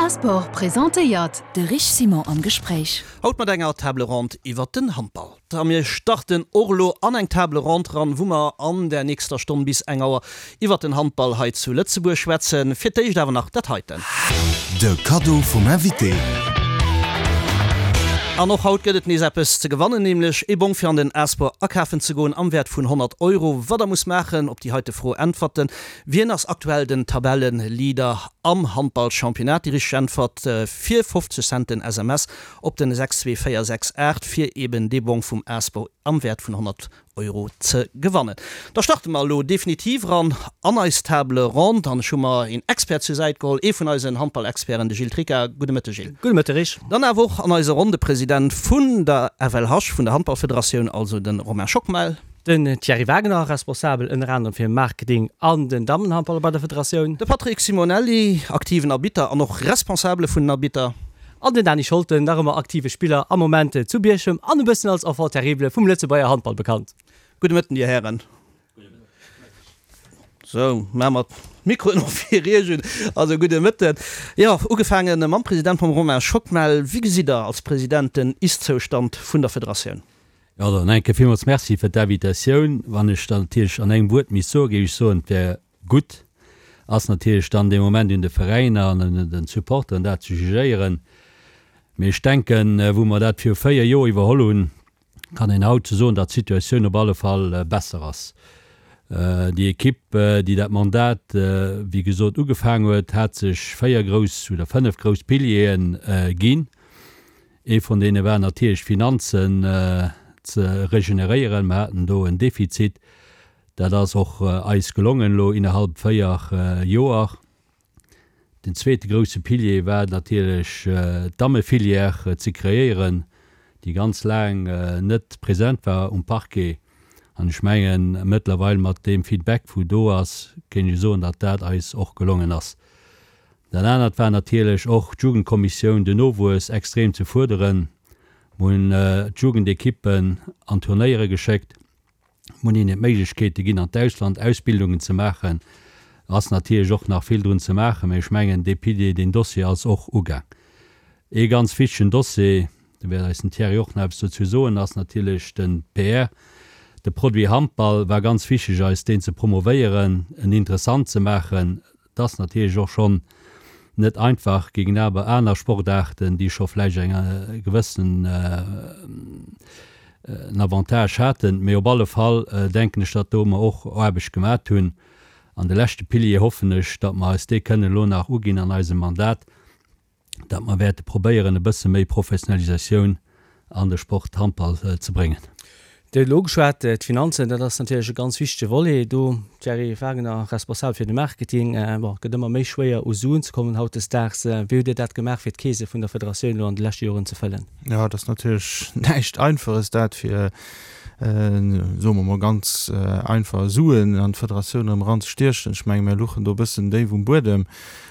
A-Sport presentéiert De Rich Simon am Gespréich. Haut mat enger Table Ronde iwwert den Handball. A mir starten och elo an eng Table Ronde ran, wou mer an der nächster Stonn bis eng Auer iwwert den Handball hei zu Lëtzebuerg schwätzen. Fir d'éischt awer nach dat heiten. De Kaddo vum Invité. An och haut gëtt et nees eppes ze gewannen, nämlech ee Bong fir an den A-Sport akafen ze goen am Wäert vun 100 Euro. Wat der musst maachen, op déi heite Fro äntwerten, Wien ass aktuell den Tabelleleader am Handballchampionnat? Déi richteg Äntwert fir 50 Cent den SMS op den 62468 fir eben dee Bong vum A-Sport am Wäert vun 100 Euro ze gewannen. Da starte mer elo definitiv eran an eis Table ronde an ech hu mer een Expert zur Säit geholl, ee vun eisen Handballexperten, de Gilles Tricca. Gudde Mëtteg Gilles. Gudde Mëtteg Rich. Dann awer och an eise Rondepresident vun der FLH, vun der Handballfederatioun, also de Romain Schockmel. Den Thierry Wagner, responsabel ënner anerem fir Marketing an den Dammenhandball bei der Federatioun. De Patrick Simonelli, aktiven Arbitter an och Responsabele vun den Arbitter. An den Dany Scholten, nach ëmmer aktive Spiller am Moment zu Bierchem an e bëssen als Enfant terrible vum Lëtzebuerger Handball bekannt. Gudde Mëtten, Dir Hären. Sou, maache mer d'Mikroen och fir Iech un. Also, gudde Mëtten. Jo, ugefaange mam President, mam Romain Schockmel. Wéi gesitt Der als President den Ist-Zoustand vun der Federatioun? Jo, dann eng Kéier villmools Merci fir d'Invitatioun. Wann ech dann natierlech an engem Wuert misst soen, géif ech soen, et wär Gutt ass natierlech dann dee Moment un de Veräiner an un den Supporteren dat ze jugéieren. Mee ech denken, wou mer dat viru 4 Joer iwwerholl hunn, kann een haut scho soen, datt d'Situatioun op alle Fall besser ass. Déi Ekipp, déi dat Mandat, wéi gesot, ugefaang huet, hat sech 4 grouss oder 5 grouss Piliere ginn. Ee vun deene war natierlech d'Finanzen ze regeneréieren. Mer haten do en Defizit. Dat ass och eis gelongen elo innerhalb 4 Joer. Den zweete grousse Pilier war natierlech d'Dammefilière ze kreéieren, déi ganz laang net present war um Parquet. An ech mengen, mëttlerweil mat deem Feedback wou do ass, kéint ech soen, datt dat eis och gelongen ass. Dat anert war natierlech och d'Jugendkommissioun, den Nowuess extrem ze fuerderen. Mer hunn d'Jugendekippen an Turnéiere geschéckt. Mir hunn hinnen d'Méiglechkeete ginn, an d'Ausland Ausbildungen ze maachen. Ass natierlech och nach vill drun ze maachen, mä ech mengen, dee Pilier, deen Dossier ass och ugaang. Ee ganz wichtegen Dossier, do wäert eis den Thierry och nach eppes dozou soen, ass natierlech de PR. De Produit Handball war ganz wichteg eis, deen ze promovéieren, en interessant ze maachen. Et ass natierlech och schonn net einfach géingenaber aner Sportaarten, déi scho vläicht eng gewëssen en Avantage haten. Mee op alle Fall denken ech, datt do mer och Aarbecht gemat hunn. An de leschte Pilier hoffen ech, datt mer eis dee kënnen elo nach uginn an eisem Mandat, datt mer wäerte probéieren e bësse méi Professionalisatioun an de Sport Handball ze bréngen. Dir hutt elo ugeschwat, d'Finanzen, dat ass natierlech e ganz wichtege Volet do. Thierry Wagner, responsabel fir de Marketing, bon, et gëtt ëmmer méi schwéier u Suen ze kommen hautdesdaags. Wéi hutt Dir dat gemaach fir d'Keese vun der Federatioun elo an de leschte Joren ze fëllen? Jo, et ass natierlech näischt Einfaches dat fir, soe mer mol ganz einfach, Suen an d'Federatioun erëm eranzestiechen. Ech menge mir luchen do e bëssen déif um Buedem.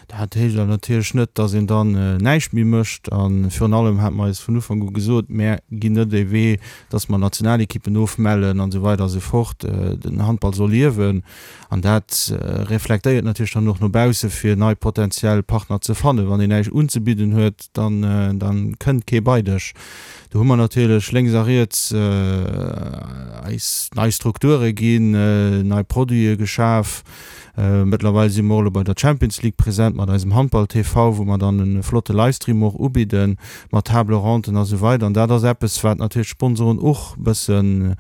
Dat heescht awer natierlech net, dass een dann näischt méi mécht. A virun allem hate mer eis vun Ufank u gesot, Mär ginn net dee Wee, dass mer Nationalekippen ofmellen an esou weider a sou fort. Den Handball soll liewen. An dat reflektéiert natierlech dann och no bausse fir nei potentiell Partner ze fannen. Wann een näischt unzebidden huet, dann dann kënnt kee bei dech. Do hu mer natierlech lénks a riets eis nei Strukture ginn, nei Produite geschaf. Mëttlerweil si mer och elo bei der Champions League present mat eisem Handball TV, wou mer dann e flotte Livestream och ubidden, mat Table Ronden a sou weider. An dat ass eppes, wat natierlech d'Sponsoren och bëssen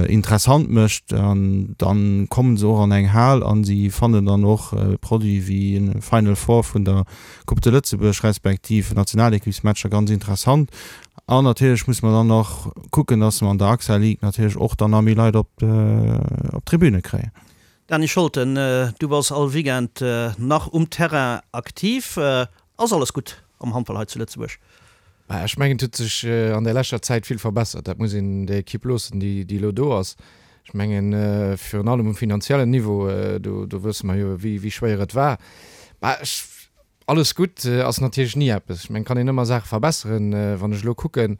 interessant mécht. An dann kommen se och an eng Hal an si fannen dann och Produite wéi e Final Four vun der Coupe de Lëtzebuerg respektiv Nationalequipsmatcher ganz interessant. An natierlech musse mer dann nach kucken, dass mer an der AXA League natierlech och dann nach méi Leit op d'Tribüne kréien. Dany Scholten, du bass all Weekend nach um Terrain aktiv. Ass alles gutt am Handball hei zu Lëtzebuerg? Ech mengen, et huet sech an der leschter Zäit vill verbessert. Dat muss een der Ekipp loossen, déi elo do ass. Ech mengen, virun allem um finanziellen Niveau, do wësse mer jo, wéi schwéier et war. Mä ech Alles gutt ass natierlech ni eppes. Ech mengen, et kann een ëmmer Saache verbesseren. Wann ech elo kucken,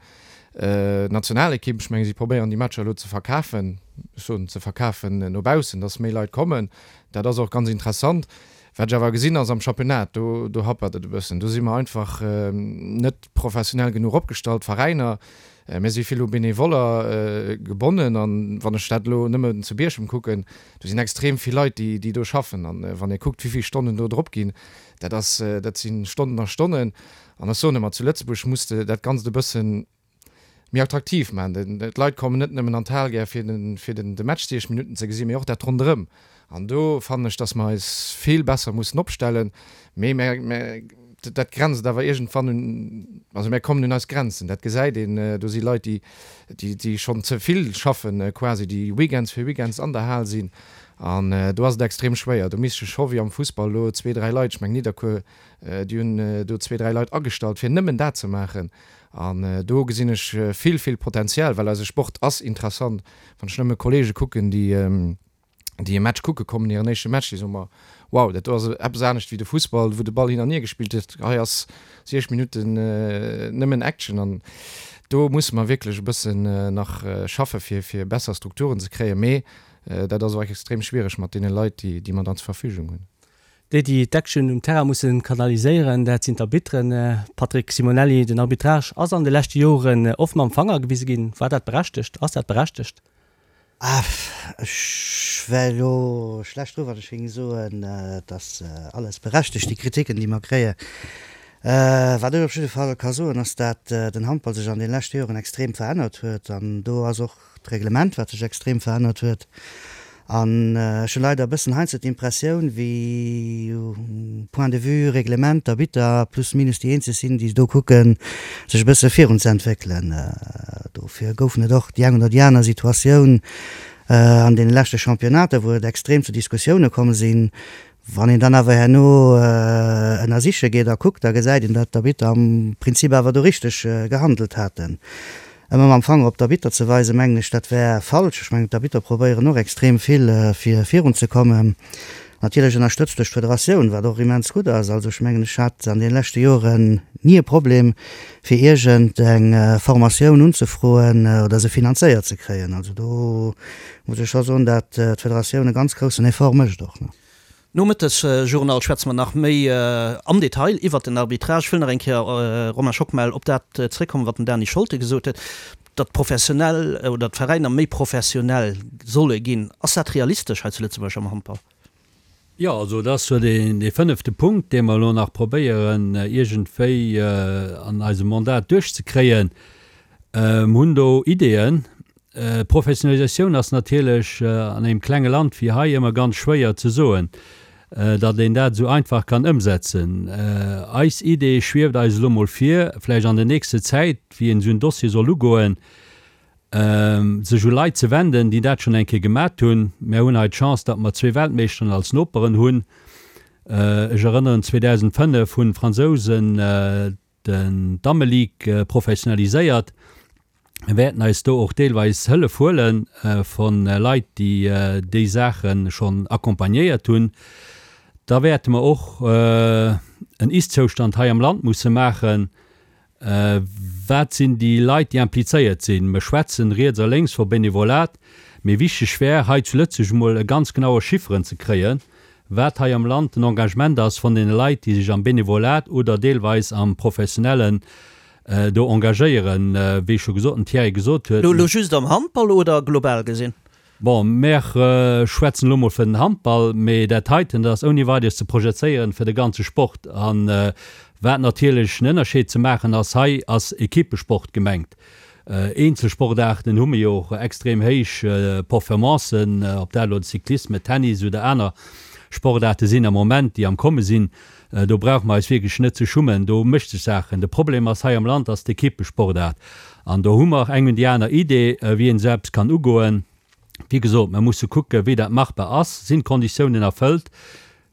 d'Nationalekipp, ech mengen, si probéieren déi Matcher elo ze verkafen, ech soen ze verkafen no baussen, datt méi Leit kommen. Dat ass och ganz interessant. Wat ech awer gesinn ass am Championnat, do, do happert et e bëssen. Do si mer einfach net professionell genuch opgestallt, d'Veräiner. Mir si vill u Benevoller gebonnen an wann ech dat elo nëmmen zu Bierchem kucken, do sinn extrem vill Leit, déi, déi do schaffen. An wann ee kuckt, wéi vill Stonnen do drop ginn, dat ass, dat si Stonnen a Stonnen. An ech soen ëmmer, zu Lëtzebuerg muss de dat Ganzt e bëssen méi attraktiv maachen. D'Leit kommen net nëmmen an d'Hal gär fir den de Match 60 Minutten ze gesinn, mee och dat ronderëm. An do fannen ech, datt mer eis vill besser mussen opstellen. Mee mer, dat grenzt awer iergendwann un, also mer kommen un eis Grenzen. Dat gesäit een, do si Leit, déi, déi schonn ze vill schaffen quasi, déi Weekends fir Weekends an der Hal sinn. An do ass et extrem schwéier. Do misst scho wéi am Fussball elo zwee, dräi Leit, ech mengen Nidderkuer, déi hunn do zwee, dräi Leit agestallt, fir nëmmen dat ze maachen. An do gesinn ech vill, vill Potenzial, well eise Sport ass interessant. Wann ech nëmme Kollege kucken, déi, déi e Match kucke kommen, hiren éischte Match, déi soe mer, Wow, dat do ass eppes anescht wéi de Fussball, wou de Ball hin an hier gespillt gëtt. Hei ass 60 Minutten nëmmen Action. An do musse mer wierklech e bëssen nach schaffe fir, fir besser Strukturen ze kréien. Mee dat ass och extrem schwiereg mat deene Leit, déi, déi mer dann zur Verfügung hunn. Déi, déi d'Action um Terrain musse kanaliséieren, dat sinn d'Arbitteren. Patrick Simonelli, den Arbitrage ass an de leschte Joren oft mam Fanger gewise ginn. War dat berechtegt? Ass dat berechtegt? Ech wär elo schlecht dru wann ech géing soen, et ass alles berechtegt, déi Kritiken, déi mer kréien. Wat ech op jidde Fall ka soen, ass, dat den Handball sech an de leschte Joren extrem verännert huet an do ass och d'Reglement, wat sech extrem verännert huet. An ech hu leider e bëssen heiansdo d'Impressioun, wéi point de vue Reglement d'Arbitter plus minus déi eenzeg sinn, déi do kucken, sech e bësse virun ze entwéckelen. Dofir goufen et och déi eng oder déi aner Situatioun an deene leschte Championnater, wou et extrem zu Diskussioune komm sinn. Wann een dann awer herno ënnersiche geet a kuckt, da gesäit een, datt d'Arbitter am Prinzip awer do richteg gehandelt haten. Ëmmer mam Fanger op d'Arbitter ze weisen, mengen ech, dat wär falsch. Ech mengen, d'Arbitter probéieren och extrem vill, fir virunzekommen. Natierlech ënnerstëtzt duerch d'Federatioun, wat och immens gutt ass. Also ech mengen, ech hat an deene leschte Joren ni e Problem, fir iergend eng Formatioun unzefroen oder se finanzéiert ze kréien. Also do muss ech scho soen, datt d'Federatioun e ganz groussen Effort mécht och. Nom Mëttesjournal schwätze mer nach méi am Detail iwwert den Arbitrage. Ech wëll nach eng Kéier, Romain Schockmel, op dat zréckkommen, wat den Dany Scholte gesot huet, datt d'Professionell oder d'Veräiner méi professionell solle ginn. Ass dat realistesch hei zu Lëtzebuerg am Handball? Jo, also dat ass jo dee fënnefte Punkt, dee mer elo nach probéieren iergendwéi an eisem Mandat duerchzekréien. Mer hunn do Ideeën. Professionalisatioun ass natierlech an engem klenge Land wéi hei ëmmer ganz schwéier ze soen, datt een dat esou einfach kann ëmsetzen. Eis Idee schwieft eis elo mol vir, vläicht an der nächster Zäit, wéi een esou en Dossier soll ugoen, sech u Leit ze wenden, déi dat schonn eng Kéier gemat hunn. Mär hunn hei d'Chance, datt mer zwee Weltmeeschteren als Noperen hunn. Ech erënneren, 2005 hunn d'Fransousen den d'Dammeligue professionaliséiert. Mir wäerten eis do och deelweis Hëllef huele vu Leit, déi déi Saache schonn accompagnéiert hunn. Da wäerte mer och en Ist-Zoustand hei am Land musse maachen. Wat sinn déi Leit, déi implizéiert sinn? Mer schwätzen riets a lénks vu Benevolat, mee wichteg wär, hei zu Lëtzebuerg emol e ganz genaue Chifferen ze kréien, wat hei am Land den Engagement ass von deene Leit, déi sech am Benevolat oder deelweis am Professionellen do engagéieren, wéi scho gesot, den Thierry gesot huet. Elo just am Handball oder global gesinn? Bon, mär schwätzen elo mol fir den Handball, mee dat heiten, dat ass ouni Weideres ze projezéieren fir de ganze Sport. A wat natierlech en Ënnerscheed ze maachen ass, hei ass Equippesport gemengt. Eenzelsportaarten hu mir jo och extrem héich Performancen, ob dat elo de Cyclisme, Tennis oder aner Sportaarte sinn am Moment, déi am Komme sinn. Do brauche mer eis wierklech net ze schummen, do mécht sech Saachen. De Problem ass hei am Land ass d'Equippesportaart. An do hu mer eng un déi aner Idee, wéi een esou eppes kann ugoen. Wéi gesot, mer musse kucken, wéi dat machbar ass. Sinn d'Konditiounen erfëllt?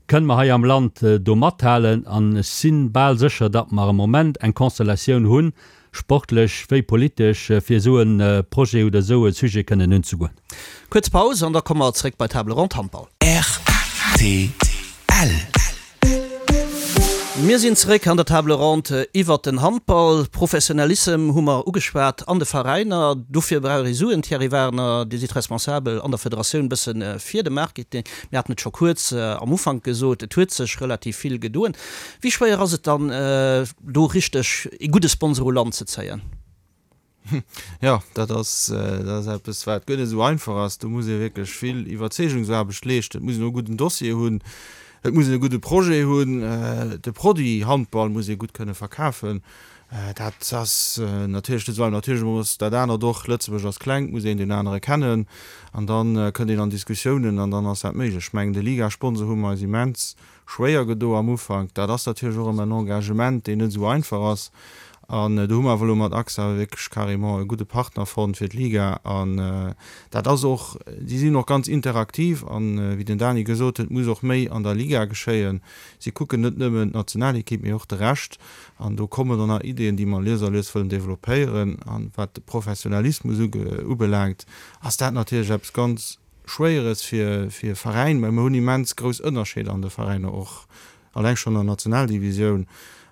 Kënne mer hei am Land do mathalen? An ech si bal sécher, datt mer am Moment eng Constellatioun hunn, sportlech wéi politesch, fir esou e Projet oder esou e Sujet kënnen unzegoen. Kuerz Paus an da komme mer zréck bei Table Ronde Handball. Rtl. Mir sinn zeréck an der Table ronde iwwert den Handball. Professionalissem hu mer ugeschwat an de Veräiner. Dofir brauch ee Suen. Thierry Wagner, Dir sidd Responsabel an der Federatioun bësse fir de Marketing. Mir haten et scho kuerz am Ufank gesot, et huet sech relativ vill gedoen. Wéi schwéier ass et dann, do richteg ee gudde Sponsor u Land ze zéien? Jo, dat ass, dat ass eppes, wat guer net esou einfach ass. Do muss ee wierklech vill Iwwerzeegungsaarbecht leeschten. Et muss een och e gudden Dossier hunn, et muss een e gudde Projet hunn, de Produit Handball muss ee gutt kënne verkafen. Dat ass natierlech net esou einfach. Natierlech ass dat anert och, Lëtzebuerg ass kleng, et muss een deen anere kennen an da kënnt een an Diskussiounen an dann ass dat méiglech. Ech mengen, de Ligasponsor hu mer eis immens schwéier gedo am Ufank. Dat ass natierlech och ëmmer en Engagement, deen net esou einfach ass. An do hu mer awer elo mat AXA wierklech carrément e gudde Partner fonnt fir d'Liga. An dat ass och, déi sinn och ganz interaktiv. An wéi den Dani gesot huet, muss och méi an der Liga geschéien. Si kucken net nëmmen d'Nationalekipp, mee och de Rescht. An do kommen dann nach Ideeën, déi mer lues a lues wëllen developpéieren. An wat de Professionalismus ubelaangt, ass dat natierlech eppes ganz Schwéieres fir e Veräin, mä mir hunn immens grouss Ënnerscheeder an de Veräiner och, alleng schonn an der Nationaldivisioun.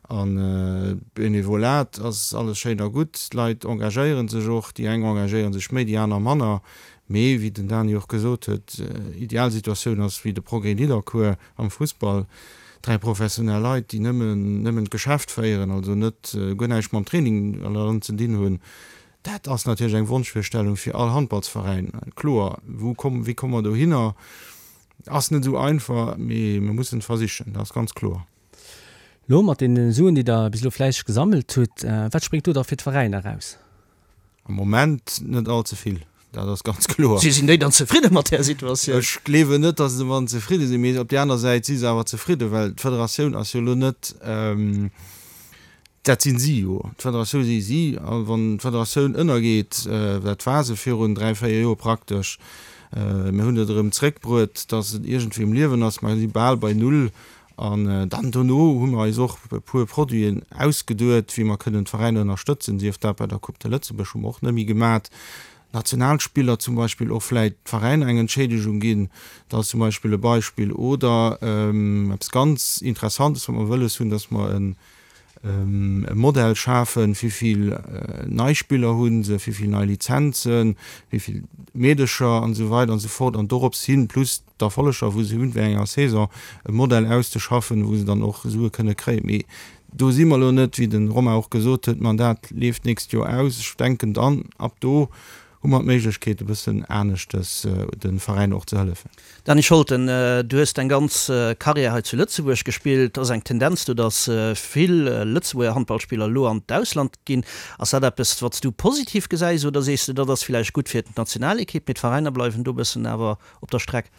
An Benevolat ass alles schéin a gutt, d'Leit engagéiere sech och, déi eng engagéiere sech méi, déi aner manner. Mee wéi den Dani och gesot huet, Idealsituatioun ass wéi de Progrès Nidderkuer am Fussball, 3 professionell Leit, déi nëmmen nëmmen d'Geschäft féieren, also net guer näischt mam Training an ze dinn hunn. Dat ass natierlech eng Wonschvirstellung fir all Handballsveräin, kloer. Wou komm, wéi komme mer dohinner, ass net esou einfach, mee mir mussen et versichen, dat ass ganz kloer. Lo mat deene Suen, déi Der bis elo fläisseg gesammelt hutt, wat spréngt do da fir d'Veräiner eraus? Am Moment net all ze vill, dat ass ganz kloer. Si sinn déi dann zefridde mat där Situatioun? Ech gleewen net, datt se domadden zefridde sinn, mee op där aner Säit si se awer zefridde, well d'Federatioun ass jo elo net, Dat sinn si jo, d'Federatioun si si. A wann d'Federatioun ënnergeet, dat war se virun 3, 4 Joer praktesch, mir hunn et erëm zréckbruet, datt et iergendwéi um Liewen ass, mer si bal bei Null. An dann dono hu mer eis och e puer Produiten ausgeduet, wéi mer kënnen d'Veräiner ënnerstëtzen, sief dat bei der Coupe de Lëtzebuerg, hu mer och net méi gemat, Nationalspiller zum Beispill och vläit d'Veräiner eng Entschéidegung ginn, dat ass zum Beispill e Beispill. Oder eppes ganz Interessantes, wat mer wëlles hunn, datt mer e Modell schafen, wéi vill nei Spiller hu se, wéi vill nei Lizenzen, wéi vill Meedecher an esou weider an esou fort an dorops hin, plus d'Erfolleger wou se hunn während enger Saison, e Modell auszeschaffen, wou se dann och Sue kënne kréien. Mee do si mer elo net, wéi de Romain och gesot huet, d'Mandat leeft d'nächst Joer aus. Ech denken dann, ab do hu mer d'Méiglechkeet e bëssen aneschtes de Veräiner och ze hëllefen. Dany Scholten, du hues deng ganz Karriär hei zu Lëtzebuerg gespillt. Et ass eng Tendenz do, datt vill Lëtzebuerger Handballspiller elo an d'Ausland ginn. Ass dat eppes, wat s du positiv gesäis oder sees de, dat ass villäicht gutt fir d'Nationalekipp, mee d'Veräiner bleiwen do e bëssen awer op der Streck?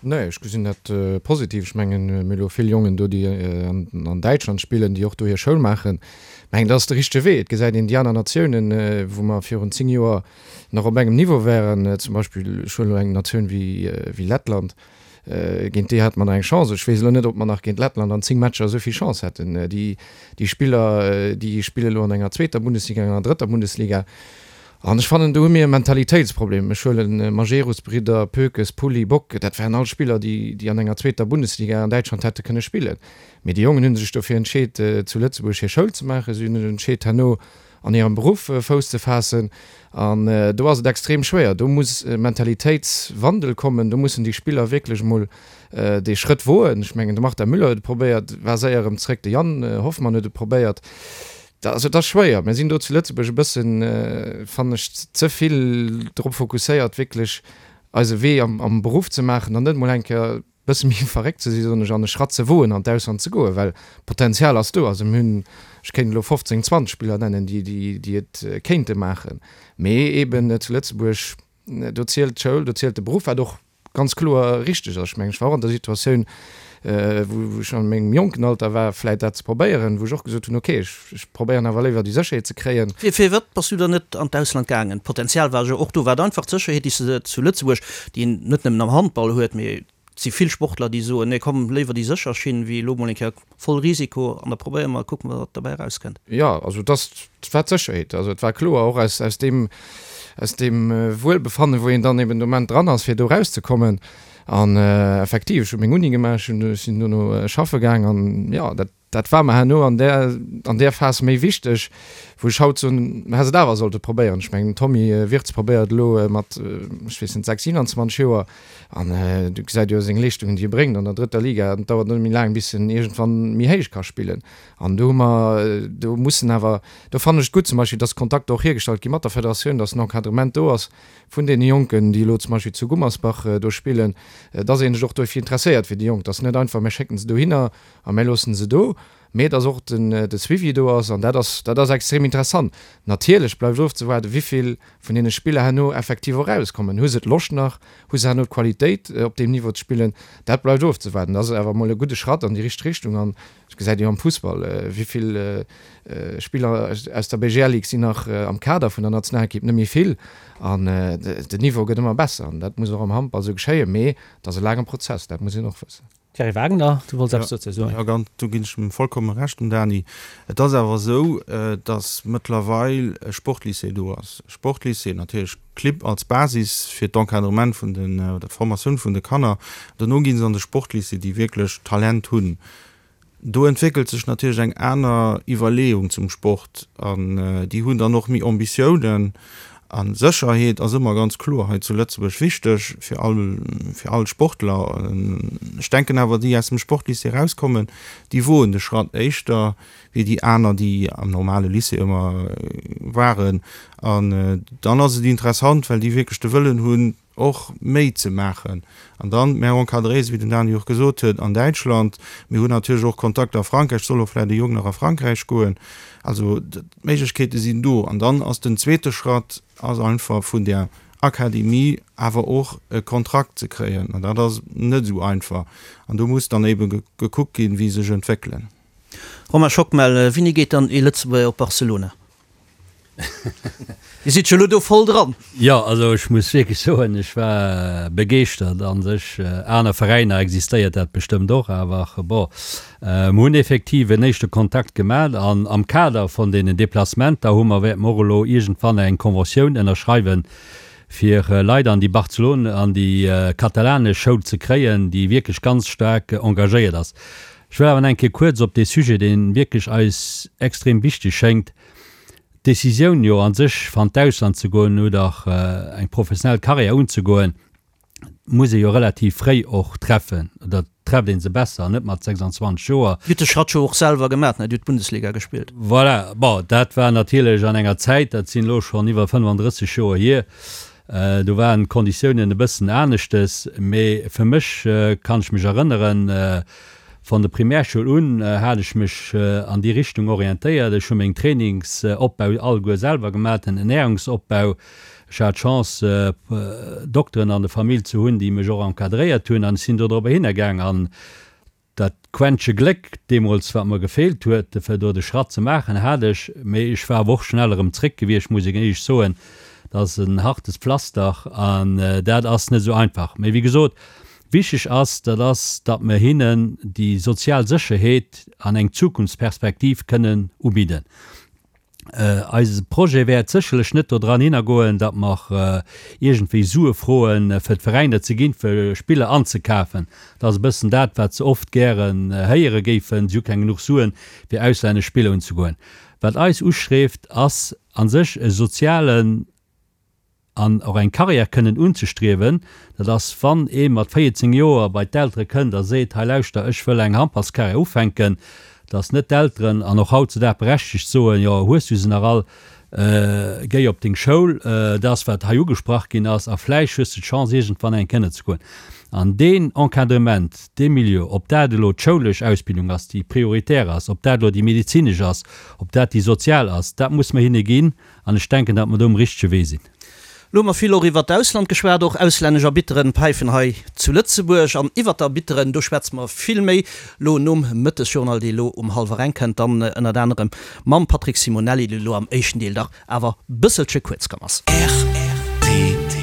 Nee, ech gesinn dat positiv. Ech mengen, mir hu lo vill Jongen do, déi an Däitschland spillen, déi och do hir Schoul maachen. Ech mengen, dat ass de richtege Wee. Et gesäit een déi aner Natiounen, wou mer virun 10 Joer nach op engem Niveau waren, zum Beispill, ech huelen elo eng Natioun wéi Lettland, géint déi hate mer nach eng Chance. Ech weess elo net, ob mer nach géint Lettland an 10 Matcher esou vill Chance hätten. Déi Spiller, déi spille lo an enger zweeter Bundesliga, an enger drëtter Bundesliga. An ech fannen, do hu mir e Mentalitéitsproblem. Ech huelen Majerus-Bridder, Poekes, Pulli, Bock, dat waren all Spiller, déi, déi an enger zweeter Bundesliga an Däitschland hätte kënne spillen. Mee déi Jongen hu sech dofir entscheet, zu Lëtzebuerg hir Schoul ze maachen. Si hunn sech entscheet, herno an hirem Beruff Fouss ze faassen. An do ass et extrem schwéier. Do muss e Mentalitéitswandel kommen. Do mussen déi Spiller wierklech emol dee Schrëtt woen. Ech mengen, de Martin Müller huet et probéiert, war séier erëm zréck. De Yann Hoffmann huet et probéiert. Also et ass schwéier. Mir sinn do zu Lëtzebuerg e bëssen, fannen ech, ze vill drop fokusséiert, wierklech eise Wee am Beruff ze maachen an net emol eng Kéier e bësse méi verréckt ze sinn, soen ech, an e Schratt ze woen, an d'Ausland ze goen, well d'Potenzial ass do. Also mir hunn, ech kéint elo 15, 20 Spiller nennen, déi, déi et kéinte maachen. Mee eeben zu Lëtzebuerg, do zielt d'Schoul, do zielt de Beruff, wat och ganz kloer richteg ass. Ech mengen, ech war och an der Situatioun, wou ech an mengem jonken Alter war, vläit dat ze probéieren, wou ech och gesot hunn, okay, ech probéieren awer léiwer déi Sécherheet ze kréien. Firwat bass du dann net an d'Ausland gaangen? D'Potenzial war jo och do. War et einfach d'Sécherheet, déi s de zu Lëtzebuerg, déi een net nëmmen am Handball huet, mee et si vill Sportler, déi soen, nee komm, léiwer déi sécher Schinn, wéi elo mol eng Kéier voll Risiko an da probéiere mer a kucke mer, wat derbäi erauskënnt. Jo, also et ass, et war d'Sécherheet. Also et war kloer, och aus, aus deem, aus deem Wuelbefannen, wou een dann eben de Moment dran ass, fir do erauszekommen. An effektiv, ech hu meng Uni gemaach, ech hunn, ech sinn dono schaffe gaang an jo, dat. Dat war mer herno an där, an där Phas méi wichteg, wou ech haut soen, mer hätt et awer sollte probéieren. Ech mengen, den Tommy Wirtz probéiert elo mat, ech weess net, 6, 27 Joer an du gesäit jo seng Leeschtungen, déi e bréngt an der drëtter Liga. Et dauert net méi laang, bis en iergendwann méi héich ka spillen. An do hu mer, do mussen awer, do fannen ech et gutt zum Beispill, dass Kontakter och hiergestallt gi mat der Federatioun, dass en Encadrement do ass vun deene Jonken, déi elo zum Beispill zu Gummersbach do spillen, dass ee sech och dofir interesséiert fir déi Jonk, dass net einfach, mir schécken se dohinner, A mir loossen se do, mee dass och den de Suivi do ass, an dat ass, dat ass extrem interessant. Natierlech bleift ofzewaarden, wivill vun deene Spiller herno effektiv och erauskommen. Hu se d'Loscht nach? Hu se herno d'Qualitéit, op deem Niveau ze spillen? Dat bleift ofzewaarden. Dat ass awer emol e gudde Schratt an déi richteg Richtung. An et gesäit ee jo am Fussball, wivill Spiller aus der BGL Ligue sinn nach am Kader vun der Nationalekipp, net méi vill. An den Niveau gëtt ëmmer besser. An dat muss och am Handball esou geschéien. Mee et ass e laange Prozess, dat muss een och wëssen. Thierry Wagner, du wollts eppes dozou soen? Jo, ganz, do ginn ech em vollkomme Recht, dem Dany. Et ass awer esou, datt mëttlerweil e Sportlycée do ass. E Sportlycée, natierlech Clibb als Basis fir d'Encadrement vun den, oder d'Formatioun vun de Kanner. Dono gi se an de Sportlycée, déi wierklech Talent hunn. Do entwéckelt sech natierlech eng aner Iwwerleeung zum Sport an déi hunn dann och méi Ambitiounen. A Sécherheet ass ëmmer ganz kloer hei zu Lëtzebuerg wichteg fir all, fir all Sportler. Ech denken awer, déi aus dem Sportlycée erauskommen, déi woen de Schratt éischter wéi déi aner, déi am normale Lycée ëmmer waren. An dann ass et interessant, well déi wierklech de Wëllen hunn, och méi ze maachen. An dann, mär encadréieren, wéi den Dany och gesot huet, an Däitschland. Mir hunn natierlech och Kontakter a Frankräich, soll och vläicht e Jong nach a Frankräich goen. Also d'Méiglechkeete sinn do. An dann ass den zweete Schratt ass einfach vun där Akademie awer och e Kontrakt ze kréien. An dat ass net esou einfach. An do muss dann ebe gekuckt ginn, wéi sech entwéckelen. Romain Schockmel, Wéini geet dann ee Lëtzebuerger op Barcelona? Dir sidd jo elo do voll dran. Jo, also ech muss wierklech soen, ech war begeeschtert. A sech, aner Veräiner existéiert dat bestëmmt och, awer bon, mer hunn effektiv en éischte Kontakt gemat an am Kader von deenen Deplacementer hu mer, wäerte mer och elo iergendwann eng Conventioun ënnerschreiwen, fir Leit an déi Barcelone, an déi katalanesch Schoul ze kréien, déi wierklech ganz staark engagéiert ass. Ech wëll awer nach eng Kéier kuerz op dee Sujet, dee wierklech eis extrem wichteg schéngt, D'Decisioun jo a sech fir an d'Ausland ze goen oder eng professionell Karriär unzegoen, muss ee jo relativ fréi och treffen oder trefft ee se besser an net mat 26 Joer. Dir hutt de Schratt jo och selwer gemaach, ne? Dir hutt Bundesliga gespillt. Voilà, bon, dat war natierlech an enger Zäit, dat sinn elo schonn iwwer 35 Joer hier, do waren d'Konditiounen e bëssen aneschtes, mee fir mech kann ech mech erënneren, Von der Primärschoul un hat ech mech an déi Richtung orientéiert. Ech hu meng Trainingsopbau alleguer selwer gemaat, den Ernährungsopbau. Ech hat d'Chance Dokteren an der Famill ze hunn, déi mech och encadréiert hunn an ech sinn do dorobber hinner gaang. An dat Quäntche Gléck deemools, wat mer gefeelt huet, fir do de Schratt ze maachen, hat ech. Mee ech war awer och schnell erëm zréck gewiescht, muss ech éierlech soen. Dat ass en hartes Pflaster an dat ass net esou einfach. Mee wéi gesot, Wichteg ass, dat ass, datt mer hinnen déi sozial Sécherheet an eng Zukunftsperspektiv kënnen ubidden. Eise Projet wäert sécherlech net dodran hinnergoen, datt mer iergendwéi Sue froen, fir d'Veräiner ze ginn, fir Spiller anzekafen. Dat ass e bëssen dat, wat se oft gären héiere géifen, si hu keng genuch Suen, fir auslännesch Spiller unzegoen. Wat eis uschreeft, ass a sech e sozialen an och eng Carrière kënnen unzestriewen, dat ass, wann ee mat 14 Joer bei d'Eltere kënnt a seet, hei lauschter, ech wëll eng Handballscarrière ufänken, dass net d'Elteren, an och hautzudag berechtegt, soen, jo hues du se nach all, géi op deng Schoul, dat ass wat hei ugesprach ginn ass, a vläicht hues de d'Chance iergendwann eng kënnen ze goen. An deen Encadrement, dee Milieu, ob dat elo d'schoulesch Ausbildung ass, déi prioritär ass, ob dat elo déi medezinesch ass, ob dat déi sozial ass, dat muss mer hinne ginn. An ech denken, datt mer do um richtege Wee sinn. Elo hu mer vill och iwwert d'Ausland geschwat, och auslännesch Arbitteren päifen hei zu Lëtzebuerg. An iwwert d'Arbitteren, do schwätze mer vill méi elo nom Mëttesjournal, dee elo um hallwer eng kënnt, dann ënnert anerem mam Patrick Simonelli, dee elo am éischten Deel dach awer bësselche kuerz komm ass. Rtl.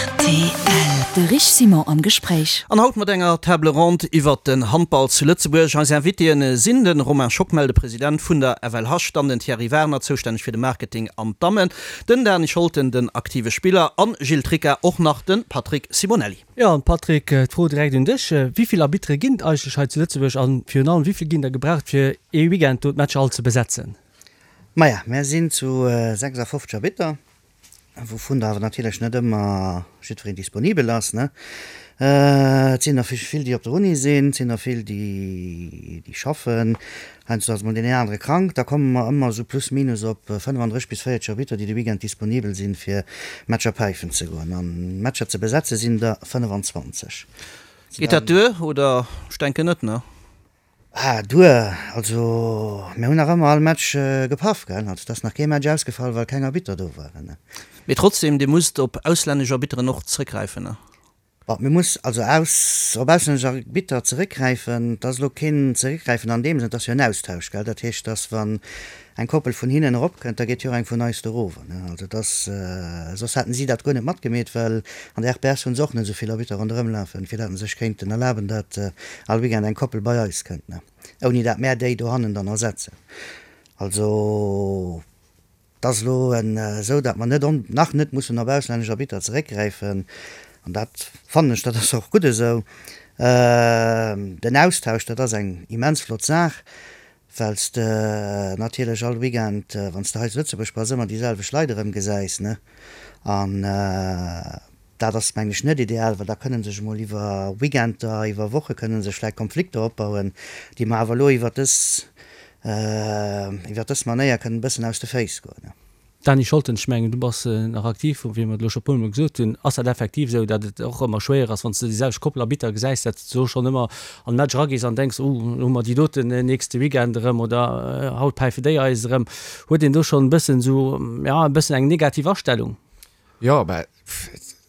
Rtl. De Rich Simon am Gespréich. An haut mat enger Table ronde iwwert den Handball zu Lëtzebuerg. Eis Invitéen sinn de Romain Schockmel, de President vun der FLH, dann den Thierry Wagner, zoustänneg fir de Marketing an d'Dammen, den Dany Scholten, den aktive Spiller, an Gilles Tricca, och nach de Patrick Simonelli. Jo, an Patrick, d'Fro direkt un dech, Wéi vill Arbitere ginn et eigentlech hei zu Lëtzebuerg an virun allem, wéi vill ginn der gebraucht fir ee Weekend do d'Matcher all ze besetzen? Maja, mär sinn zu 56 Arbitter, wouvun der awer natierlech net ëmmer jiddwereen disponibel ass, ne. Et sinn der vill, déi op der Uni sinn, et sinn der vill, déi schaffen. Heiansdo ass mol deen een anere krank, da komme mer ëmmer esou plus minus op 35 bis 40 Arbitter, déi de Weekend disponibel sinn, fir Matcher päifen ze goen. An Matcher ze besetze sinn der 25. Geet dat duer oder? Ech denken net, ne? Ah, duer, also mir hunn nach ëmmer all Match gepaff, gell? Also et ass nach kee Match ausgefall, well keng Arbitter do waren. Mee trotzdem, Dir musst op auslännesch Arbitteren och zrëckgräifen, ne? Bon, mir muss also aus, op auslännesch Arbitter zeréckgräifen. Et ass elo keen Zeréckgräifen an deem Sënn, et ass jo en Austausch, gell. Dat heescht, dass wann eng Koppel vun hinnen eropkënnt, da geet jo och eng vun eis do erover, ne. Also et ass, soss hätten si dat guer net matgemeet, well an der RPS hu se och net esou vill Arbitter ronderëm lafen, fir dat se sech kéinten erlaben, dat all Weekend eng Koppel bei eis kënnt, ne, ouni dat mär déi dohannen dann ersetzen. Also. Et ass elo esou, datt mer net, nach net mussen op auslännesch Arbitter zeréckgräifen, an dat fannen ech, dat ass och gutt esou. Den Austausch, dat ass eng immens flott Saach, well s de natierlech all Weekend, wann s de hei zu Lëtzebuerg bass, ëmmer déi selwecht Leit erëmgesäis, ne? An dat ass, mengen ech, net ideal, well da kënne sech emol iwwer Weekender, iwwer Woche kënne sech vläicht Konflikter opbauen, déi mer awer elo iwwer dës, iwwer dës Manéier kënnen e bëssen aus de Féiss goen. Dany Scholten, ech mengen, du bass nach aktiv, wéi mer et elo scho e puermol gesot hunn. Ass dat effektiv esou, datt et och ëmmer schwéier ass, wann s de déi selwecht Koppel Arbitter gesäis, datt s du schonn ëmmer an de Match eragees an denks, oh, elo hu mer déi doten nächste Weekend erëm oder haut päife déi eis erëm. Huet een do schonn e bëssen esou, ja, e bëssen eng negativ Astellung? Jo, mä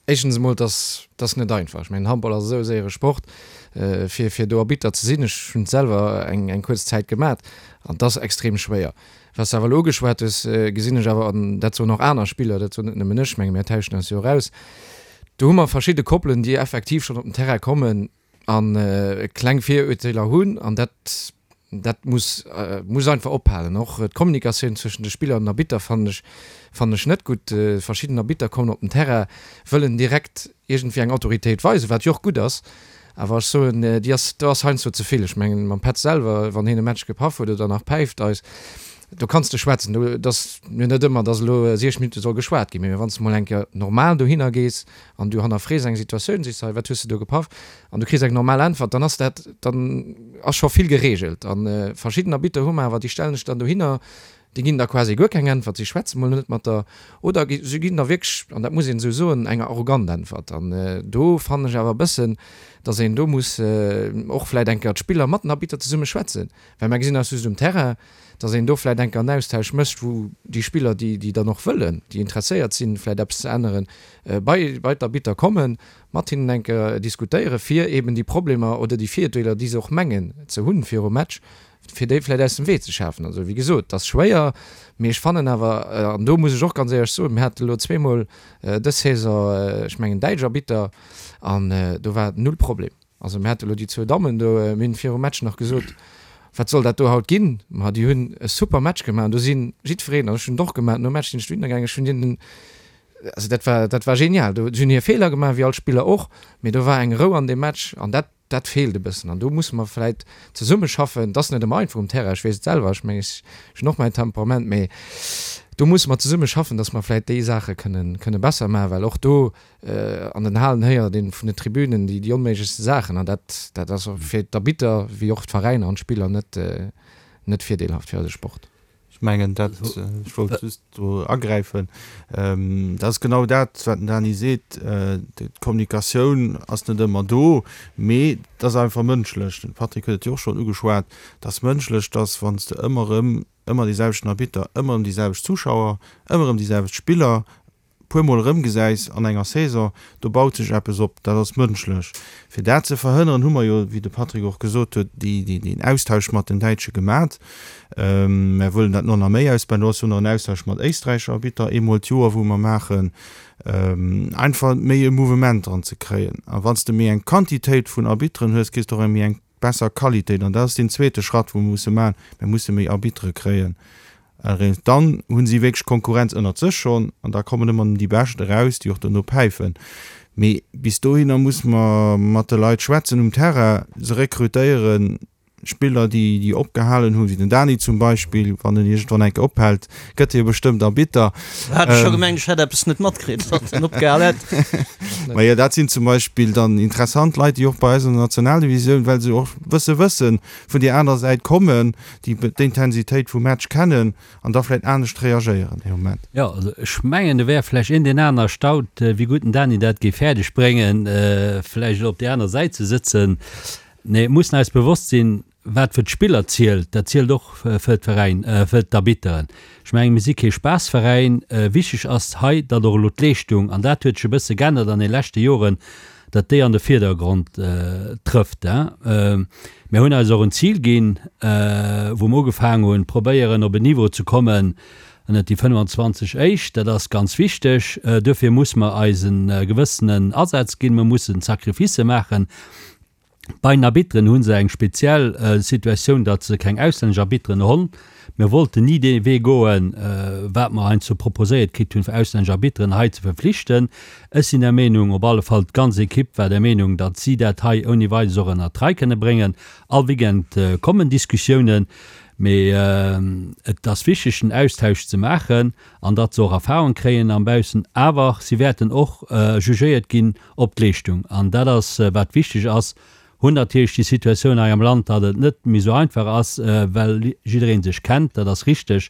éischtens emol, et ass, et ass net einfach. Ech mengen, Handball ass esou e séiere Sport, fir, fir do Arbitter ze sinn. Ech hunn et selwer eng, eng kuerz Zäit gemat an et ass extrem schwéier. Wat s de awer elo ugeschwat hues, gesinn ech awer, an dat soen och aner Spiller, dat soen net nëmmen ech, menge mir tauschen eis jo och aus, do hu mer verschidde Koppelen, déi effektiv schonn op den Terrain kommen a kleng Virurteeler hunn an dat, Dat muss, muss einfach ophalen. Och d'Kommunikatioun zwëschen de Spiller an den Arbitter fannen ech, fannen ech net gutt. Verschidden Arbitter kommen op den Terrain, wëllen direkt iergendwéi eng Autoritéit weisen, wat jo och gutt ass, awer ech soen, déi ass, do ass heiansdo ze vill. Ech mengen, mam Petz selwer, wann hien e Match gepaff huet oder nach päift eis, do kanns de schwätzen. Do, et ass jo net ëmmer, dass elo 60 Minutte soll geschwat ginn, mee wann s de mol eng Kéier normal dohinner gees an du hannerfrees eng Situatioun, sees hei, wat hues de do gepaff? An du kriss eng normal Äntwert, dann ass dat, dann ass scho vill geregelt. A verschidden Arbitter hu mer awer, déi stellen sech dann dohinner, déi ginn der quasi guer keng Äntwert, si schwätze mol net mat der, oder si ginn der wierklech, an dat muss een esou soen, eng arrogant Äntwert. An do fannen ech awer e bëssen, datt een do muss och vläicht eng Kéier d'Spiller mat den Arbitter zesumme schwätzen, well mer gesinn eis just um Terrain, datt een do vläicht eng Kéier en Austausch mécht, wou déi Spiller, déi déi dann och wëllen, déi interesséiert sinn, vläicht eppes ze änneren, bei bei d'Arbitter kommen mat hinnen eng Kéier diskutéieren, fir eben déi Problemer oder déi Virdeeler, déi se och mengen ze hunn virum Match, fir déi vläicht aus dem Wee ze schafen. Also, wéi gesot, et ass schwéier, mee ech fannen awer, an do muss ech och ganz éierlech soen, mir hate elo zweemol dës Saison, ech mengen, däitsch Arbitter an do war null Problem. Also mir hate elo déi zwou Dammen do, mir hunn virum Match nach gesot, wat soll dat do haut ginn? Ma déi hunn e super Match gemaach an do si jiddwereen, an ech hunn et och gemaach, nom Match sinn ech dohinner gaangen, ech hunn hinnen, also dat war, dat war genial. Do hunn hir Feeler gemaach, wéi all Spiller och, mee do war eng Rou an deem Match an dat, dat feelt e bëssen. An do musse mer vläit zesummeschaffen. Et ass net ëmmer einfach um Terrain, ech weess et selwer, ech mengen, ech hunn och mäin Temperament, mee do musse mer zesummeschaffen, datt mer vläit déi Saache kënnen, kënne besser maachen, well och do an den Halen héiert een vun den Tribünen déi, déi onméiglechste Saachen an dat, dat ass fir d'Arbitter wéi och d'Veräiner an d'Spiller net, net virdeelhaft fir eise Sport. Ech mengen dat, ech wollt just do agräifen, dat ass genau dat, wat den Dany seet, d'Kommunikatioun ass net ëmmer do, mee et ass einfach mënschlech, den Patrick huet et jo och schonn ugeschwat, et ass mënschlech, dass wann s de ëmmer erëm ëmmer dee selwechten Arbitter, ëmmer erëm déi selwecht Zuschauer, ëmmer erëm déi selwecht Spiller puer mol erëmgesäis an enger Saison, do baut sech eppes op, dat ass mënschlech. Fir dat ze verhënneren, hu mer jo, wéi de Patrick och gesot huet, déi, deen Austausch mat den Däitsche gemat. Mär wëllen dat no nach méi ausbauen. Do ass jo nach en Austausch mat Éisträicher Arbitter eemol d'Joer, wou mer maachen. Einfach méi e Mouvement dran ze kréien. A wann s de méi eng Quantitéit vun Arbitteren hues, kriss de och eng méi eng besser Qualitéit. An dat ass deen zweete Schratt, wou mer musse maachen. Mir musse méi Arbittere kréien. Eréischt dann hu si wierklech Konkurrenz ënnert sech schonn an da kommen ëmmer déi Bescht eraus, déi och dono päifen. Mee bis dohinner musse mer mat de Leit schwätzen um Terrain, se rekrutéieren, Spiller, déi déi opgehalen hunn, wéi den Dani zum Beispill, wann en iergendwann eng Kéier ophält, gëtt hie bestëmmt Arbitter. Hat ech scho gemengt, ech hätt eppes net matkritt, datt en opgehal hätt. Majo, dat sinn zum Beispill dann interessant Leit, déi och bei eis an der Nationaldivisioun, well se och wësse wëssen, vun déi aner Säit kommen, déi d'Intensitéit vum Match kennen an da vläicht anescht reagéieren dee Moment. Jo, also ech mengen, do wär vläicht een deen aner erstaunt, wéi gutt den Dani dat géif fäerdeg bréngen, vläicht elo op déi aner Säit ze sëtzen. Nee, et mussen eis bewosst sinn, wat fir d'Spiller zielt, dat zielt och fir d'Veräin, fir d'Arbitteren. Ech mengen, mir si kee Spaassveräin. Wichteg ass hei, datt och elo d'Leeschtung, an dat huet sech e bësse geännert an de leschte Joren, datt déi an de Virdergrond trëfft. Mir hunn eis och en Zil ginn, wou mer ugefaangen hunn, probéieren op en Niveau ze kommen ënnert déi 25 éischt. Dat ass ganz wichteg. Duerfir musse mer eis e gewëssenen Asaz ginn. Mer mussen Sacrificë maachen. Bei den Arbitteren hu se eng speziell Situatioun, datt se keng auslännesch Arbitteren honn. Mir wollten ni dee Wee goen, wat mer heiansdo proposéiert kritt hunn, fir auslännesch Arbitteren hei ze verflichten. Ech sinn der Meenung, op alle Fall d'ganz Ekipp war der Meenung, datt si dat hei ouni Weides och ënnert d'Rei kënne bréngen. All Weekend kommen Diskussiounen, mee et ass wichteg, den Austausch ze maachen an datt se och Erfahrung kréien am Baussen. Awer si wäerten och jugéiert ginn op d'Leeschtung, an dat ass wat wichteg ass, hunn natierlech déi Situatioun hei am Land, datt et net méi esou einfach ass, well jidderee sech kennt, dat ass richteg.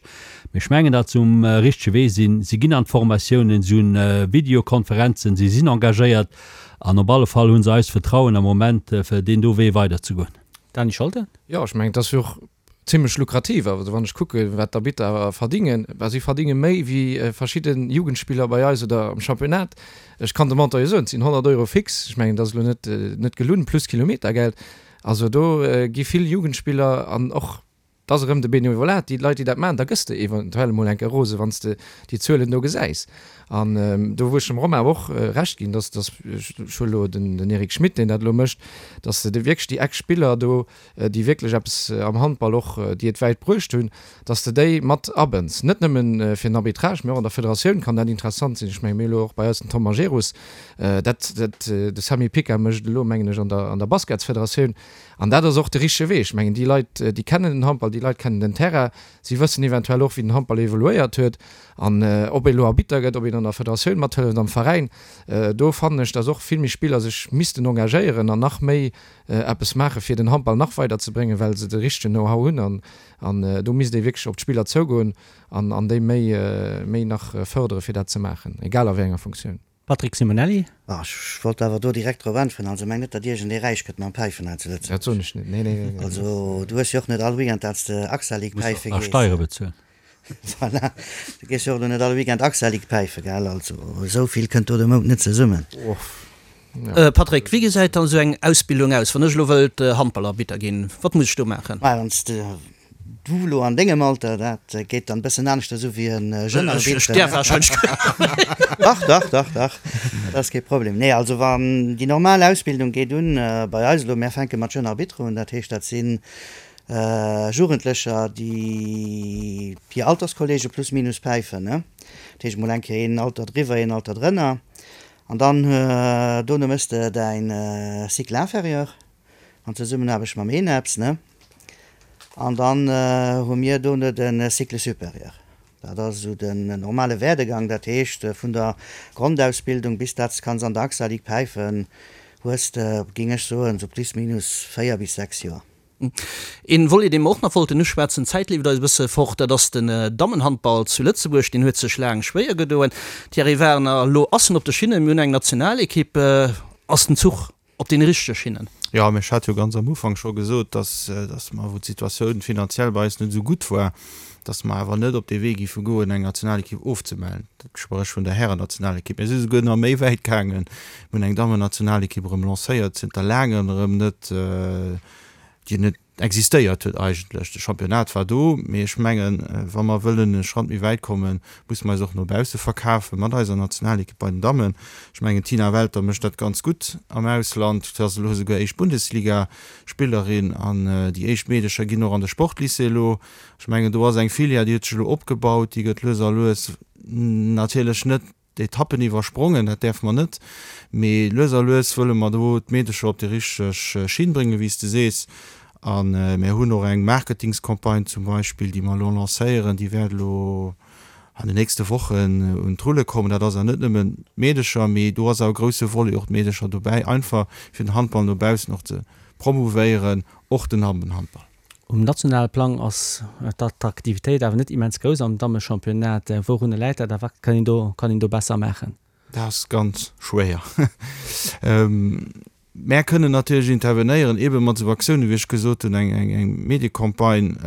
Mee ech mengen, datt se um richtege Wee sinn. Si ginn an d'Formatiounen, si hunn Videokonferenzen, si sinn engagéiert an op alle Fall hu se eist Vertrauen am Moment, fir deen do Wee weiderzegoen. Dany Scholten. Jo, ech mengen, et ass jo och Zimlech lukrativ. Also wann ech kucke wat d'Arbitter verdingen, bah si verdinge méi wéi verschidde Jugendspiller bei eis oder am Championnat. Ech kann de Montant jo soen, et sinn 100 Euro fix, ech mengen dat ass elo net net gelunn, plus Kilometergeld. Also do gi vill Jugendspiller an och, et ass erëm de Benevolat, déi Leit déi dat maachen, da gëss de eventuell emol eng Kéier rose wann s de déi Zuelen do gesäis. An do wou ech dem Romain awer och Recht ginn, dass, dass, ech huele elo den den Eric Schmit, deen dat elo mécht, dass de wierklech déi Ex-Spiller do, déi wierklech eppes am Handball och, déi et wäit bruecht hunn, dass de déi mat abënns. Net nëmmen fir den Arbitrage, mee och an der Federatioun kann dat interessant sinn. Ech mengen, mir hu elo och bei eis den Tom Majerus, dat, dat de Samy Pica mécht elo, mengen ech, an der, an der Basketsfederatioun. An dat ass och de richtege Wee. Ech mengen, déi Leit, déi kennen den Handball, déi Leit kennen den Terrain, si wëssen eventuell och, wéi den Handball evoluéiert huet. An ob ee elo Arbitter gëtt, ob een an der Federatioun mathëlleft, am Veräin, do fannen ech, dass och vill méi Spiller sech missten engagéieren an nach méi eppes maache fir den Handball nach weider ze bréngen, well se de richtegen Know-how hunn an an do misst ee wierklech op d'Spiller zougoen an an déi méi méi nach fërdere fir dat ze maachen, egal a wéi enger Funktioun. Patrick Simonelli. Ah, ech wollt awer do direkt drop äntweren. Also meng net, datt iergendee räich gëtt mam Päifen hei zu Lëtzebuerg. Dat soen ech net, nee, nee, nee. Also du hues jo och net all Weekend, datt s de Axa League Muss päife och nach gees. Steiere bezuelen. Voilà, du gees jo och elo net all Weekend Axa League päife, gell? Also esou vill kënnt do de Mount net zesummen. Patrick, wéi gesäit dann esou eng Ausbildung aus, wann ech elo wëllt Handballarbitter ginn? Wat muss ech do maachen? Mä wann s de, du elo an dengem Alter, dat geet dann e bëssen aneschters u wéi e jeune Arbitre. Ech däerf warscheinlech Dach, dach, dach, dach, dat ass kee Problem. Nee, also wann déi normal Ausbildung geet un bei eis elo, mär fänke mat Jeune Arbitre un, dat heescht dat sinn Jugendlecher, déi hir Alterskollege plus minus päifen, ne? Dat heescht mol eng Kéier een Alter driwwer, een Alter drënner. An dann dono méchs de däin Cycle inférieur an Zesummenaarbecht mam ENEPS, ne? An dann hu mir dono de Cycle supérieur. Dat ass esou den normale Werdegang. Dat heescht, vun der Grondausbildung bis dat s de kanns an der AXA Ligue päifen, hues de, géing ech soen, esou plus minus 4 bis 6 Joer. Een Volet, dee mer och nach wollten uschwätzen, d'Zäit leeft eis e bësse fort, dat ass den Dammenhandball zu Lëtzebuerg. Deen huet sech laang schwéier gedoen. Thierry Werner, elo ass en op de Schinnen, mir hunn eng Nationalekipp. Ass den Zuch op deene richtege Schinnen? Jo, mä ech hat jo ganz am Ufank scho gesot, dass, dass mer, wou d'Situatioun finanziell bei eis net esou gutt war, dass mer awer net op dee Wee géife goen, eng Nationalekipp ofzemellen. Dat spréch vun der Härennationalekipp. Mir si souguer nach méi wäit gaangen. Mir hunn eng Dammennationalekipp erëm lancéiert, zënter laangem erëm net. Déi net existéiert huet eigentlech. De Championnat war do, mee ech mengen, wa mer wëllen e Schratt méi wäit kommen, musse mer eis och no bausse verkafen mat eiser Nationalekipp bei den Dammen. Ech mengen, d'Tina Welter mécht dat ganz gutt am Ausland. Si ass elo esouguer éischt Bundesliga-Spillerin an déi éischt Meedecher ginn och an de Sportlycée elo. Ech mengen, do ass eng Filière, déi huet sech elo opgebaut, déi gëtt lues a lues natierlech net d'Etappen iwwersprongen, dat däerfe mer net, mee lues a lues wëlle mer do d'Meedecher op déi richteg Schinn bréngen, wéi s de sees. A mir hunn och eng Marketingscampagne zum Beispill, déi mer elo lancéieren, déi wäert elo an den nächste Wochen un d'Rulle kommen. Dat ass awer net nëmmen d'Meedecher, mee do ass awer e grousse Volet och d'Meedecher dobäi, einfach fir den Handball no baussen och ze promouvéieren, och den Dammenhandball. Um nationale Plang ass d'Attraktivitéit awer net immens grouss am Dammechampionnat. Wourunner läit dat a wat kann een do kann een do besser maachen? Dat ass ganz schwéier. Mär kënnen natierlech intervenéieren, eebe mat esou Aktiounen, wéi ech gesot hunn, eng eng Mediecampagne.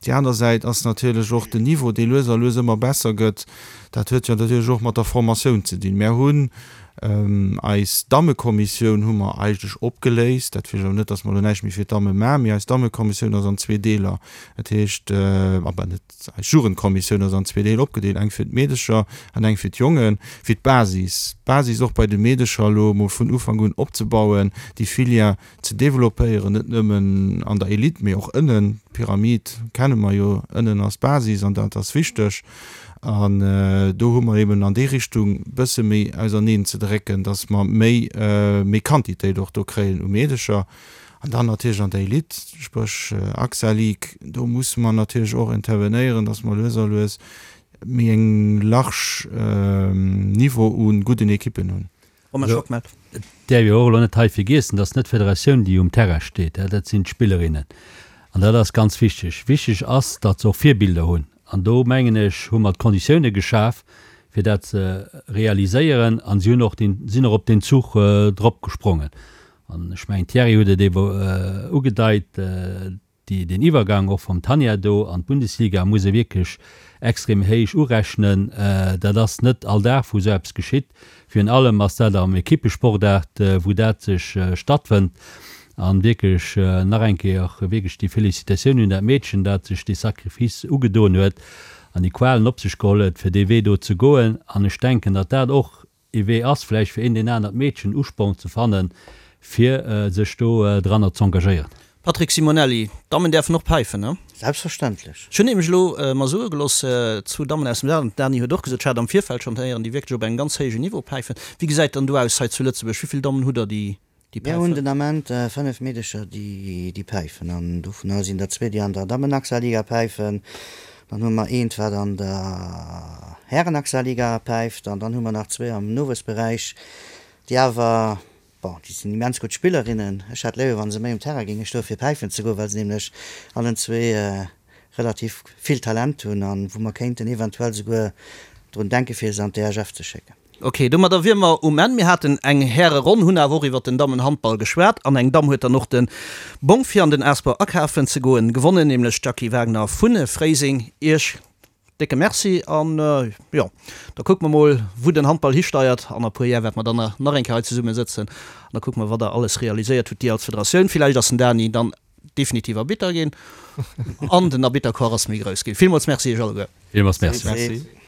Déi aner Säit ass natierlech och den Niveau, dee lues a lues ëmmer besser gëtt. Dat huet jo natierlech och mat der Formatioun ze dinn. Mär hunn Eis Dammekommissioun hu mer eigentlech opgeléist. Dat heescht awer net, datt mer elo näischt méi fir d'Damme maachen, mee eis Dammekommissioun ass an zwee Deeler. Dat heescht, enfin net, eis Jugendkommissioun ass an zwee Deeler opgedeelt, eng fir d'Meedecher an eng fir d'Jongen, fir d'Basis, d'Basis och bei de Meedecher elo emol vun Ufank un opzebauen, déi Filière ze développéieren, net nëmmen an der Elite, mee och ënnen. D'Pyramid kenne mer jo, ënnen ass d'Basis an dat ass wichteg. An do hu mer eben an déi Richtung e bësse méi auserneen ze drécken, datt mer méi, méi Quantitéit och do kréien u Meedecher. An dann natierlech an der Elite, spréch AXA League, do musse mer natierlech och intervenéieren, datt mer lues a lues méi eng large Niveau u gudden Ekippen hunn. Romain Schockmel. Et däerf ee och elo net hei vergiessen, dass net d'Federatioun, déi um Terrain steet, dat sinn d'Spillerinnen. An dat ass ganz wichteg. Wichteg ass, datt se och Virbilder hunn. An do, mengen ech, hu mer d'Konditioune geschaf, fir dat ze realiséieren. A si hunn och deen, sinn och op deen Zuch drop gesprongen. An ech mengen, Thierry huet et ebe ugedeit, Déi, deen Iwwergang och vum Tanja do an d'Bundesliga muss ee wierklech extrem héich urechnen. Dat ass net all Dag, wou esou eppes geschitt. Virun allem ass dat am Ekippesportaart, wou dat sech stattfënnt. An wierklech nach eng Kéier wierklech déi Felicitatioun un dat Meedchen, dat sech dee Sacrifice ugedoen huet an déi Qualen op sech geholl huet, fir dee Wee do ze goen. An ech denken, datt dat och ee Wee ass, vläicht fir een deen anert Meedchen Usporn ze fannen, fir sech do dranner z'engagéieren. Patrick Simonelli, D'Dammen däerfen och päifen, ne? Selbstverständlech. Ech hunn nämlech elo mer soe gelooss, zwou Dammen aus dem Saarland, d'Dani huet och gesot, ech hat am Virfeld schonn héieren, déi wierklech op engem ganz héijen Niveau päifen. Wéi gesäit dann do aus hei zu Lëtzebuerg? Wéi vill Dammen hutt Der, déi déi Mir hunn den Ament 5 Meedecher, déi päifen an dovunner sinn der zwee, déi an der Dammen-AXA-Liga päifen. Dann hu mer eent, wat an der Hären-AXA-Liga päift an dann hu mer nach zwee am Nowuessberäich, déi awer, bon, déi sinn immens gutt Spillerinnen. Ech hätt léiwer, wa se méi um Terrain géinge stoen, fir päifen ze goen, well se nämlech allen zwee relativ vill Talent hunn an wou mer kéinten eventuell souguer drun denken, fir se an d'EHF ze schécken. Ok, domadder wier mer um Enn. Mir haten eng Häreronn, hunn awer och iwwert den Dammenhandball geschwat an eng Damm huet dann och de Bong fir an den Asper akafen ze goen gewonnen, nämlech d'Jackie Wagner vu Fréiseng. Iech décke Merci an jo, da kucke mer mol wou den Handball histeiert. An a puer Jar wäerte mer dann nach eng Kéier hei zesumme sëtzen an da kucke mer wat der alles realiséiert hutt, dir als Federatioun. Villäicht ass den Dani dann definitiv Arbitter ginn an den Arbittercorps ass méi grouss ginn. Villmools Merci iech alleguer. Villmools Merci.